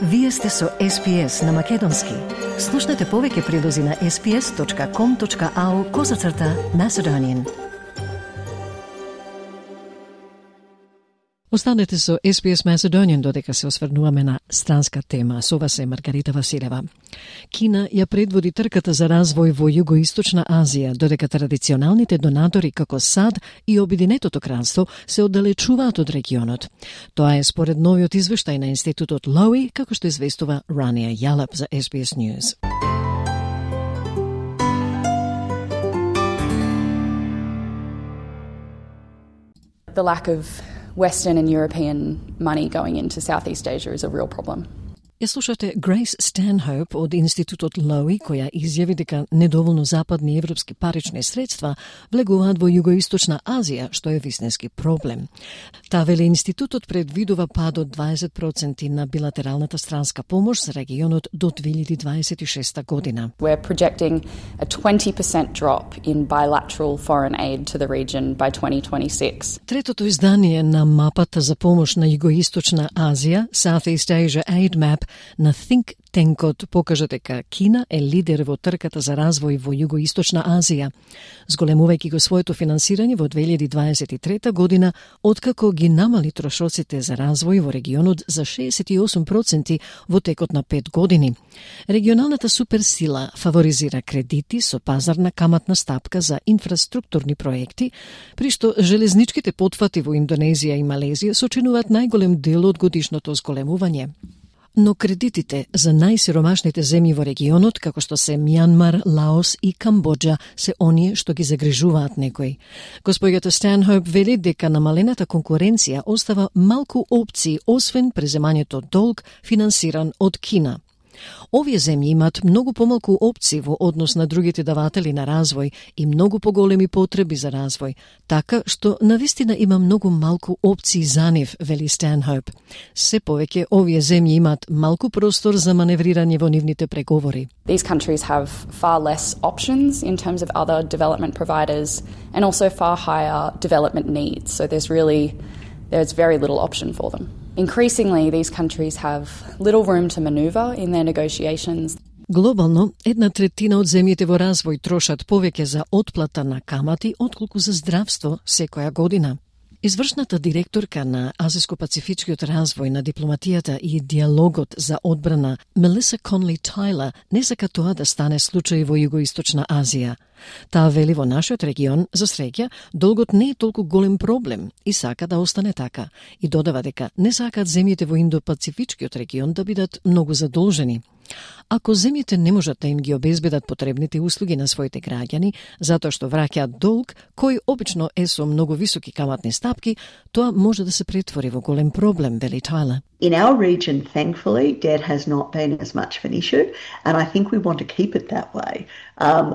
Вие сте со SPS на Македонски. Слушнете повеќе прилози на sps.com.au/Macedonian. Останете со SPS Macedonian додека се осврнуваме на странска тема. Со вас е Маргарита Василева. Кина ја предводи трката за развој во Југоисточна Азија, додека традиционалните донатори како САД и Обединетото кралство се оддалечуваат од регионот. Тоа е според новиот извештај на Институтот Lowy, како што известува Рания Јалап за SBS News. The lack of Western and European money going into Southeast Asia is a real problem. Ја слушате Grace Stanhope од Институтот Lowy, која изјави дека недоволно западни и европски парични средства влегуваат во Југоисточна Азија, што е вистински проблем. Таа вели институтот предвидува пад од 20% на билатералната странска помош за регионот до 2026 година. We're projecting a 20% drop in bilateral foreign aid to the region by 2026. Третото издание на мапата за помош на Југоисточна Азија, Southeast Asia Aid Map, на Think Tank-от покажа дека Кина е лидер во трката за развој во Југоисточна Азија, зголемувајќи го своето финансирање во 2023 година, откако ги намали трошоците за развој во регионот за 68% во текот на 5 години. Регионалната суперсила фаворизира кредити со пазарна каматна стапка за инфраструктурни проекти, при што железничките потфати во Индонезија и Малезија сочинуваат најголем дел од годишното зголемување. Но кредитите за најсиромашните земји во регионот, како што се Мјанмар, Лаос и Камбоџа, се оние што ги загрижуваат некои. Госпоѓата Станхоуп вели дека намалената конкуренција остава малку опции, освен преземањето долг финансиран од Кина. Овие земји имаат многу помалку опции во однос на другите даватели на развој и многу поголеми потреби за развој, така што навистина има многу малку опции за нив, вели Станхоуп. Се повеќе овие земји имаат малку простор за маневрирање во нивните преговори. These countries have far less options in terms of other development providers and also far higher development needs. So there's very little option for them. Increasingly, these countries have little room to maneuver in their negotiations. Глобално, 1/3 од земјите во развој трошат повеќе за отплата на камати отколку за здравство секоја година. Извршната директорка на Азиско-пацифичкиот развој на дипломатијата и диалогот за одбрана Мелиса Конли Тайлер не сака тоа да стане случај во Југоисточна Азија. Таа вели во нашиот регион, за среќа, долгот не е толку голем проблем и сака да остане така. И додава дека не сакаат земјите во Индо-пацифичкиот регион да бидат многу задолжени. Ако земјите не можат да им ги обезбедат потребните услуги на своите граѓани, затоа што враќаат долг, кој обично е со многу високи каматни стапки, тоа може да се претвори во голем проблем, вели Тайлер. In our region, thankfully, debt has not been as much of an issue, and I think we want to keep it that way.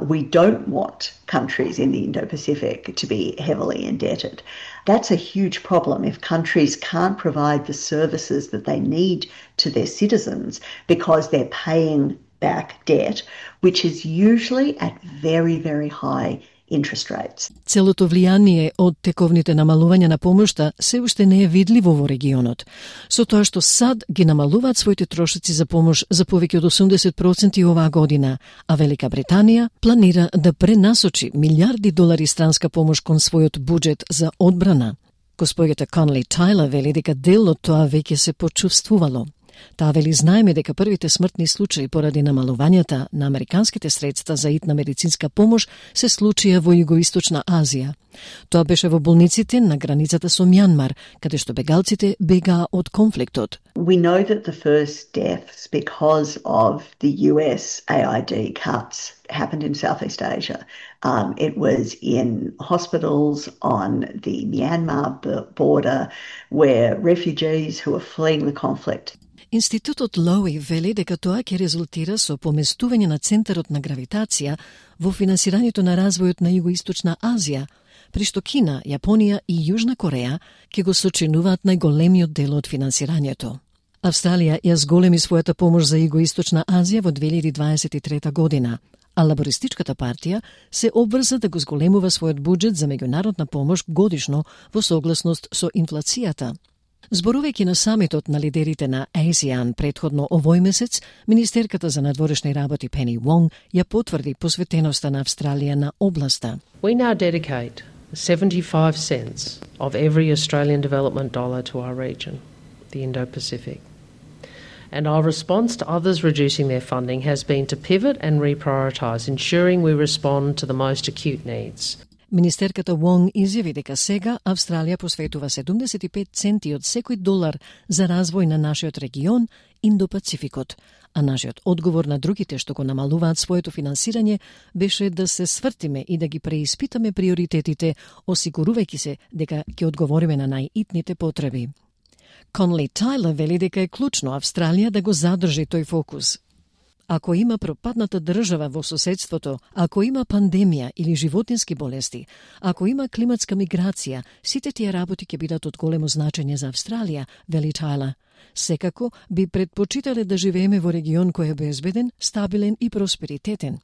We don't want countries in the Indo-Pacific to be heavily indebted. That's a huge problem if countries can't provide the services that they need to their citizens because they're paying back debt, which is usually at very, very high interest rates. Целото влијание од тековните намалувања на помошта се уште не е видливо во регионот. Со тоа што САД ги намалуваат своите трошоци за помош за повеќе од 80% оваа година, а Велика Британија планира да пренасочи милиарди долари странска помош кон својот буџет за одбрана. Госпоѓата Конли Тайлер вели дека дел од тоа веќе се почувствувало. Таа вели знаеме дека првите смртни случаи поради намалувањата на американските средства за итна медицинска помош се случија во Југоисточна Азија. Тоа беше во болниците на границата со Мјанмар, каде што бегалците бегаа од конфликтот. We know that the first deaths because of the US AID cuts happened in Southeast Asia. It was in hospitals on the Myanmar border where refugees who were fleeing the conflict. Институтот Lowy вели дека тоа ќе резултира со поместување на центарот на гравитација во финансирањето на развојот на Југоисточна Азија, при што Кина, Јапонија и Јужна Кореја ќе го сочинуваат најголемиот дел од финансирањето. Австралија ја зголеми својата помош за Југоисточна Азија во 2023 година, а Лабористичката партија се обврза да го зголемува својот буџет за меѓународна помош годишно во согласност со инфлацијата. Зборувајќи на самитот на лидерите на ASEAN предходно овој месец, министерката за надворешни работи Пени Вонг ја потврди посветеноста на Австралија на областа. We now dedicate 75 cents of every Australian development dollar to our region, the Indo-Pacific. And our response to others reducing their funding has been to pivot and reprioritise, ensuring we respond to the most acute needs. Министерката Вонг изјави дека сега Австралија посветува 75 центи од секој долар за развој на нашиот регион, Индо-Пацификот, а нашиот одговор на другите што го намалуваат своето финансирање беше да се свртиме и да ги преиспитаме приоритетите, осигурувајќи се дека ќе одговориме на најитните потреби. Конли Тајлер вели дека е клучно Австралија да го задржи тој фокус. Ако има пропадната држава во соседството, ако има пандемија или животински болести, ако има климатска миграција, сите тие работи ќе бидат од големо значење за Австралија, вели Тајлер. Секако би предпочитале да живееме во регион кој е безбеден, стабилен и просперитетен.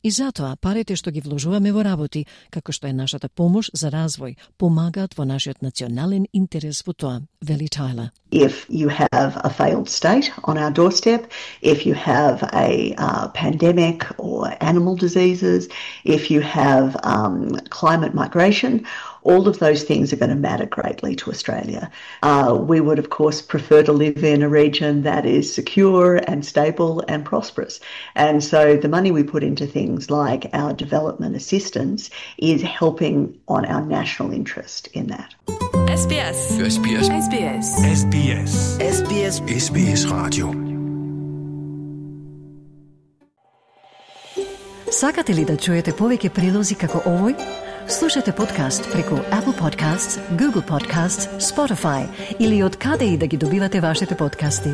И затоа парите што ги вложуваме во работи, како што е нашата помош за развој, помагаат во нашиот национален интерес во тоа, вели Тајлер. If you have a failed state on our doorstep, if you have a pandemic or animal diseases, if you have climate migration, all of those things are going to matter greatly to Australia. We would, of course, prefer to live in a region that is secure and stable and prosperous. And so the money we put into things like our development assistance is helping on our national interest in that. SBS. SBS. SBS. SBS. SBS. SBS Radio. Сакате ли да чуете повеќе прилози како овој? Слушате подкаст преку Apple Podcasts, Google Podcasts, Spotify или од каде и да ги добивате вашите подкасти.